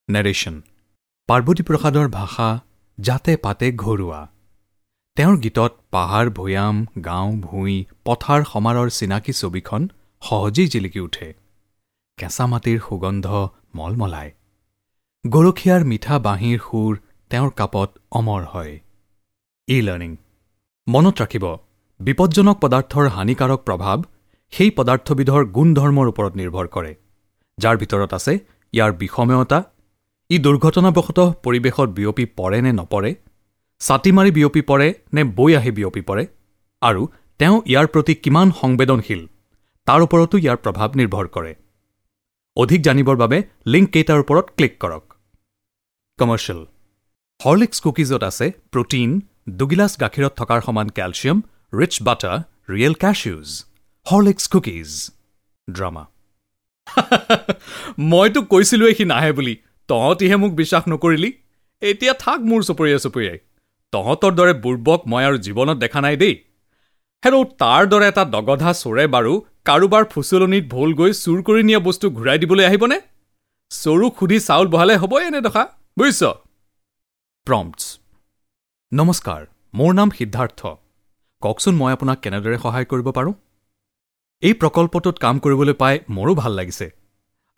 Narration. Parvati প্ৰসাদৰ ভাষা জাতে পাতে ঘৰুৱা। তেওঁৰ গীতত পাহাৰ ভৈয়াম, গাঁও ভূঁই, পথাৰ সমাৰৰ চিনাকি ছবিখন সহজেই জিলিকি উঠে। কেঁচা মাটিৰ সুগন্ধ মলমলায়। গৰখীয়াৰ মিঠা বাঁহীৰ সুৰ তেওঁৰ কাপত অমৰ হয়। ই লাৰ্ণিং মনত ৰাখিব, বিপজ্জনক পদাৰ্থৰ হানিকাৰক প্ৰভাৱ সেই পদাৰ্থবিধৰ গুণধৰ্মৰ ওপৰত নিৰ্ভৰ কৰে, যাৰ ভিতৰত আছে ইয়াৰ বিষময়তা, ই দুৰ্ঘটনাবশতঃ পৰিৱেশত বিয়পি পৰে নে নপৰে, ছাটি মাৰি বিয়পি পৰে নে বৈ আহি বিয়পি পৰে, আৰু তেওঁ ইয়াৰ প্ৰতি কিমান সংবেদনশীল তাৰ ওপৰতো ইয়াৰ প্ৰভাৱ নিৰ্ভৰ কৰে। অধিক জানিবৰ বাবে লিংককেইটাৰ ওপৰত ক্লিক কৰক। কমাৰ্চিয়েল। হৰলিক্স কুকিজত আছে প্ৰ'টিন, দুগিলাচ গাখীৰত থকাৰ সমান calcium, rich butter, real cashews. Horlicks cookies. Drama. মইতো কৈছিলোঁৱেই সি নাহে বুলি, তহঁতিহে মোক বিশ্বাস নকৰিলি। এতিয়া থাক মোৰ চপৰিয়াই চপৰিয়াই। তহঁতৰ দৰে বুৰ্বক মই আৰু জীৱনত দেখা নাই দেই। হেৰৌ, তাৰ দৰে এটা দগধা চোৰে বাৰু কাৰোবাৰ ফুচলনিত ভোল গৈ চুৰ কৰি নিয়া বস্তু ঘূৰাই দিবলৈ আহিবনে? চৰুক সুধি চাউল বহালে হ'বই এনে দশা, বুজিছ? প্ৰম্পটছ। নমস্কাৰ, মোৰ নাম সিদ্ধাৰ্থ। কওকচোন মই আপোনাক কেনেদৰে সহায় কৰিব পাৰোঁ? এই প্ৰকল্পটোত কাম কৰিবলৈ পাই মোৰো ভাল লাগিছে।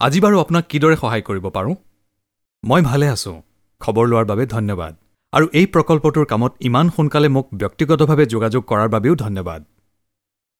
আজি বাৰু আপোনাক কিদৰে সহায় কৰিব পাৰোঁ? মই ভালে আছোঁ, খবৰ লোৱাৰ বাবে ধন্যবাদ, আৰু এই প্ৰকল্পটোৰ কামত ইমান সোনকালে মোক ব্যক্তিগতভাৱে যোগাযোগ কৰাৰ বাবেও ধন্যবাদ।